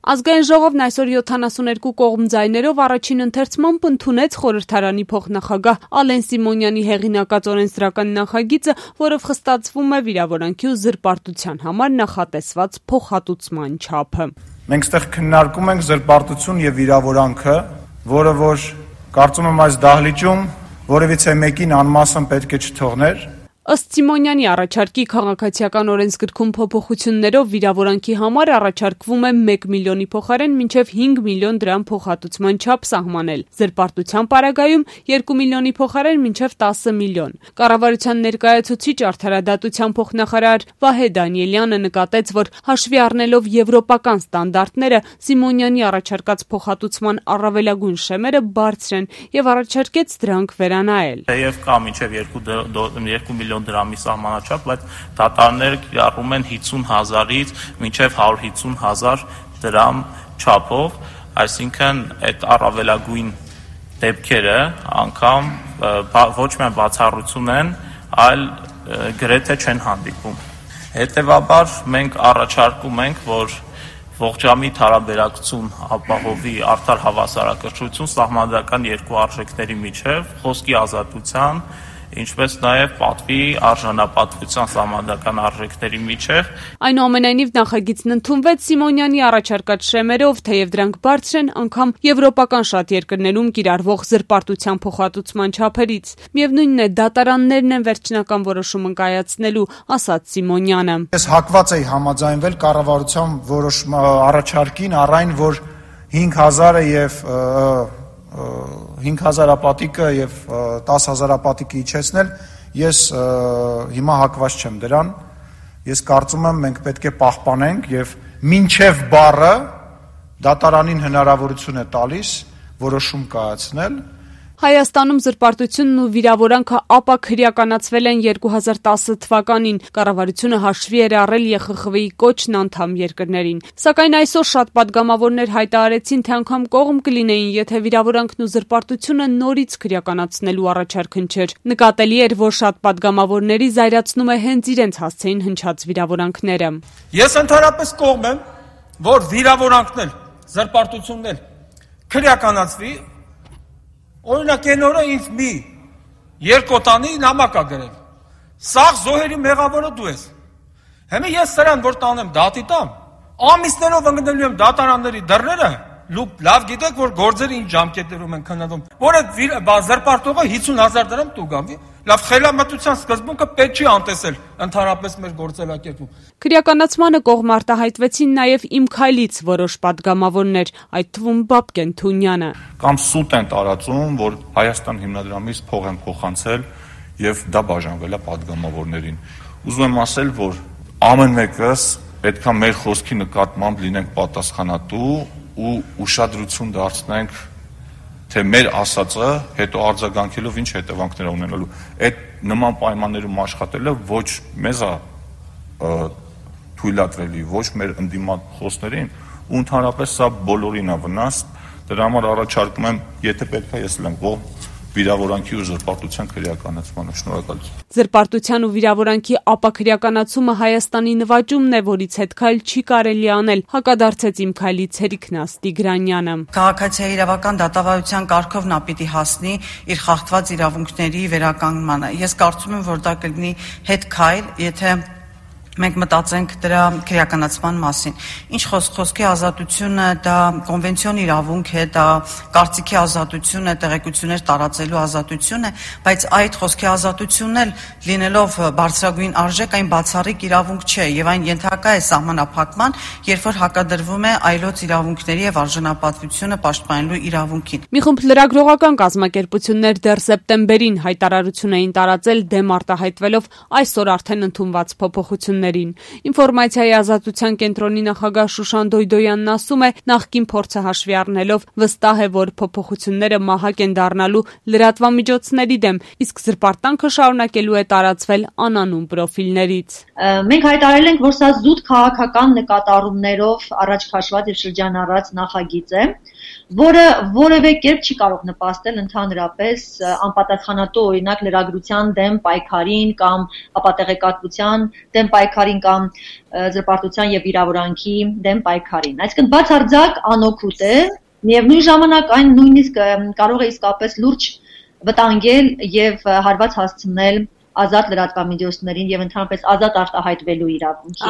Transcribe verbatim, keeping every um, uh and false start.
Ազգային ժողովն այսօր յոթանասուներկու կողմ ձայներով առաջին ընթերցմամբ ընդունեց խորհրդարանի փոխնախագահ Ալեն Սիմոնյանի հեղինակած օրենսդրական նախագիծը, որով խստացվում է վիրավորանքի ու զրպարտության համար նախատեսված փոխհատուցման չափը։ Մենք ստեղ քննարկում ենք զրպարտություն եւ վիրավորանքը, որը որ կարծում եմ այս դահլիճում որևիցե մեկին անմասն պետք է չթողներ։ Ըստ Սիմոնյանի առաջարկի քաղաքացիական օրենսգրքում փոփոխություններով վիրավորանքի համար առաջարկվում է մեկ միլիոնի փոխարեն մինչև հինգ միլիոն դրամ փոխհատուցման չափ սահմանել, զրպարտության պարագայում երկու միլիոնի փոխարեն մինչև տասը միլիոն։ Կառավարության ներկայացուցիչ արդարադատության փոխնախարար Վահե Դանիելյանը նկատեց, որ հաշվի առնելով եվրոպական ստանդարտները, Սիմոնյանի առաջարկած փոխհատուցման առավելագույն շեմերը բարձր են եւ առաջարկեց դրանք վերանայել։ Եվ կա մինչև երկու միլիոն դրամի սահմանաչափ, բայց դատարանները կիրառում են հիսուն հազարից մինչև հարյուր հիսուն հազար դրամ չափով, այսինքն այդ առավելագույն դեպքերը անգամ ոչ միայն բացառություն են, այլ գրեթե չեն հանդիպում։ Հետևաբար մենք առաջարկում ենք, որ ողջամիտ հարաբերակցություն ապահովի արդար հավասարակշռություն սահմանադրական երկու արժեքների միջև, խոսքի ազատության, ինչպես նաև պատվի արժանապատվության սահմանադրական արժեքների միջև։ Այնուամենայնիվ նախագիծն ընդունվեց Սիմոնյանի առաջարկած շեմերով, թեև դրանք բարձր են անգամ եվրոպական շատ երկրներում կիրառվող զրպարտության փոխհատուցման չափերից։ Միևնույնն է, դատարաններն են վերջնական որոշումը կայացնելու, ասաց Սիմոնյանը։ Ես հակված էի համաձայնվել կառավարության որոշում առաջարկին առ այն, որ հինգ հազարը եւ հինգ հազարապատիկը եւ տասը հազարապատիկը իջեցնել, ես հիմա հակված չեմ դրան, ես կարծում եմ մենք պետք է պահպանենք եւ մինչեւ բառը դատարանին հնարավորություն է տալիս որոշում կայացնել։ Հայաստանում զրպարտությունն ու վիրավորանքը ապա քրեականացվել են երկու հազար տասը թվականին, կառավարությունը հաշվի էր առել Ե Խ Խ V-ի կոչն անդամ երկրներին։ Սակայն այսօր շատ պատգամավորներ հայտարարեցին, թե անգամ կողմ կլինեին, եթե վիրավորանքն ու զրպարտությունը նորից քրեականացնելու առաջարկ հնչեր։ Նկատելի էր, որ շատ պատգամավորների զայրացնում է հենց իրենց հասցեին հնչած վիրավորանքները։ Ես ընդհանրապես կողմ եմ, որ վիրավորանքն էլ, զրպարտությունն էլ քրեականացվի։ Օրինակ այն օրը ինձ մի երկոտանի նամակ ա գրել։ Սաղ զոհերի մեղավորը դու ես։ Հիմա ես սրան որ տանեմ դատի տամ, ամիսներով ընկնելու եմ դատարանների դռները, լավ գիտեք, որ գործերը ինչ ժամկետներում են քննվում։ Որ այդ զրպարտողը հիսուն հազար դրամ տուգա։ Լավ խելամտության սկզբունքը պետք չի անտեսել ընդհանրապես մեր գործելակերպում։ Քրեականացմանը կողմ արտահայտվեցին նաև Իմ քայլից որոշ պատգամավորներ, այդ թվում Բաբկեն Թունյանը։ Կամ սուտ են տարածում, որ Հայաստան հիմնադրամից փող են փոխանցել եւ դա բաժանվել է պատգամավորներին։ Ուզում եմ ասել, որ ամեն մեկս պետքա մեր խոսքի նկատմամբ լինենք պատասխանատու ու ուշադրություն դարձնենք, թե մեր ասածը հետո արձագանքելով ինչ հետևանքներ ունենալու։ Այդ նման պայմաններում աշխատելը ոչ մեզ է թույլատրելի, ոչ մեր ընդդիմախոսներին, ու ընդհանրապես սա բոլորին է վնաս։ Դրա համար առաջարկում եմ, եթե պետք է, ես լեմ ողջ վիրավորանքի ու զրպարտության քրեականացմանը։ Շնորհակալություն։ Զրպարտության ու վիրավորանքի ապաքրեականացումը Հայաստանի նվաճումն է, որից հետքայլ չի կարելի անել, հակադարձեց Իմ քայլից Հերիկ Տիգրանյանը։ Քաղաքացիական իրավական դատավարության կարգով նա պիտի հասնի իր խախտված իրավունքների վերականգնմանը։ Ես կարծում եմ, որ դա կլինի հետքայլ, եթե մենք մտածենք դրա քրեականացման մասին։ Ինչ խոսքի ազատությունը դա կոնվենցիոն իրավունք է, դա կարծիքի ազատություն է, տեղեկություններ տարածելու ազատություն է, բայց այդ խոսքի ազատությունն էլ լինելով բարձրագույն արժեք, այն բացառիկ իրավունք չէ եւ այն ենթակա է սահմանափակման, երբ որ հակադրվում է այլոց իրավունքների եւ արժանապատվությունը պաշտպանելու իրավունքին։ Մի խումբ լրագրողական կազմակերպություններ դեռ սեպտեմբերին հայտարարություն էին տարածել դեմ արտահայտվելով այսօր արդեն ընդունված փոփոխություններ։ Ինֆորմացիայի ազատության կենտրոնի նախագահ Շուշան Դոյդոյանն ասում է, նախկին փորձը հաշվի առնելով վստահ է, որ փոփոխությունները մահակ են դառնալու լրատվամիջոցների դեմ, իսկ զրպարտանքը շարունակելու է տարածվել անանուն պրոֆիլներից։ Մենք հայտարարել ենք, որ սա զուտ քաղաքական նկատառումներով առաջ քաշված եւ շրջանառած նախագիծ է, որը որևէ կերպ չի կարող նպաստել ընդհանրապես անպատասխանատու օրինակ լրագրության դեմ պայքարին կամ ապատեղեկատվության դեմ պայքարին պայքարին կամ զրպարտության եւ վիրավորանքի դեմ պայքարին։ Այսինքն բացարձակ անօգուտ է, միևնույն ժամանակ այն նույնիսկ կարող է իսկապես լուրջ վտանգել եւ հարված հասցնել ազատ լրատվամիջոցներին եւ ընդհանրապես ազատ արտահայտվելու իրավունքին։